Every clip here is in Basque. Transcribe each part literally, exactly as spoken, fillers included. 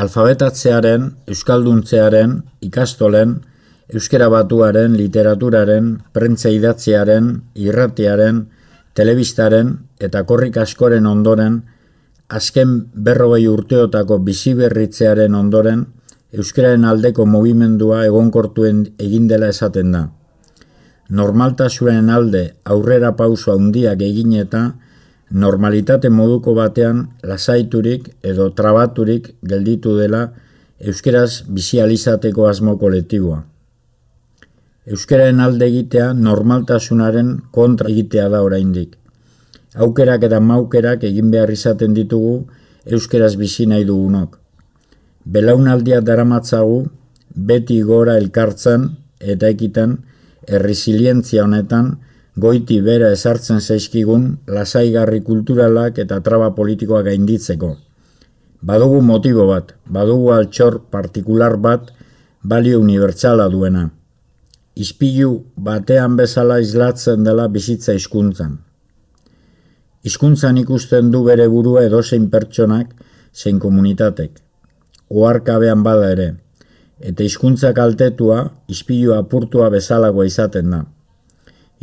alfabetatzearen, euskalduntzearen, ikastolen, euskara batuaren, literaturaren, prentza idatziaren, irratiaren, telebistaren eta korrik askoren ondoren, azken berrogei urteotako biziberritzearen ondoren, euskararen aldeko mugimendua egonkortuen egin dela esaten da. Normaltasunaren alde aurrera pauso handiak egin eta normalitate moduko batean lasaiturik edo trabaturik gelditu dela euskaraz bizializateko asmo kolektiboa. Euskararen alde egitea normaltasunaren kontra egitea da oraindik. Aukerak eta maukerak egin behar izaten ditugu euskaraz bizi nahi dugunok. Belaunaldia daramatzagu beti gora elkartzen eta ekiten erresilientzia honetan goiti bera ezartzen zaizkigun lasaigarri kulturalak eta traba politikoak gainditzeko. Badugu motibo bat, badugu altxor partikular bat balio unibertsala duena. Ispilu batean bezala islatzen dela bizitza hizkuntzan. Hizkuntzan ikusten du bere burua edozein pertsonak zein komunitatek. Oharkabean bada ere, eta hizkuntza kaltetua ispilu apurtua bezalagoa izaten da.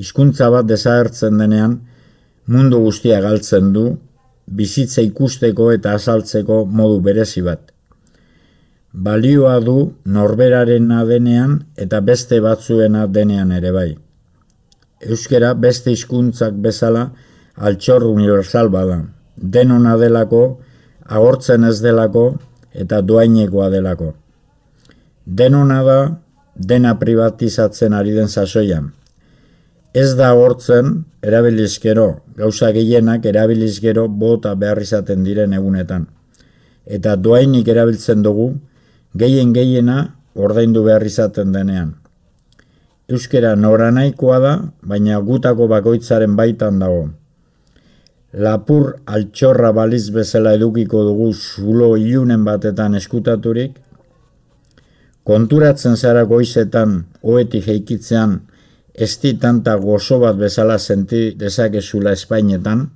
Hizkuntza bat desagertzen denean mundu guztia galtzen du, bizitza ikusteko eta azaltzeko modu berezi bat. Balioa du norberarena denean eta beste batzuena denean ere bai. Euskara beste hizkuntzak bezala altxor universal bada, denona delako, agortzen ez delako eta doainekoa delako. Denona da, dena privatizatzen ari den sasoian. Ez da agortzen, erabilizkero, gauza gehienak erabilizkero bota behar izaten diren egunetan. Eta doainik erabiltzen dugu, gehien gehiena ordaindu behar izaten denean. Euskara noranahikoa da, baina gutako bakoitzaren baitan dago. Lapur altxorra baliz bezala edukiko dugu zulo ilunen batetan eskutaturik, konturatzen zara goizetan ohetik jeikitzean esti tanta gozo bat bezala senti dezakezula Espainetan,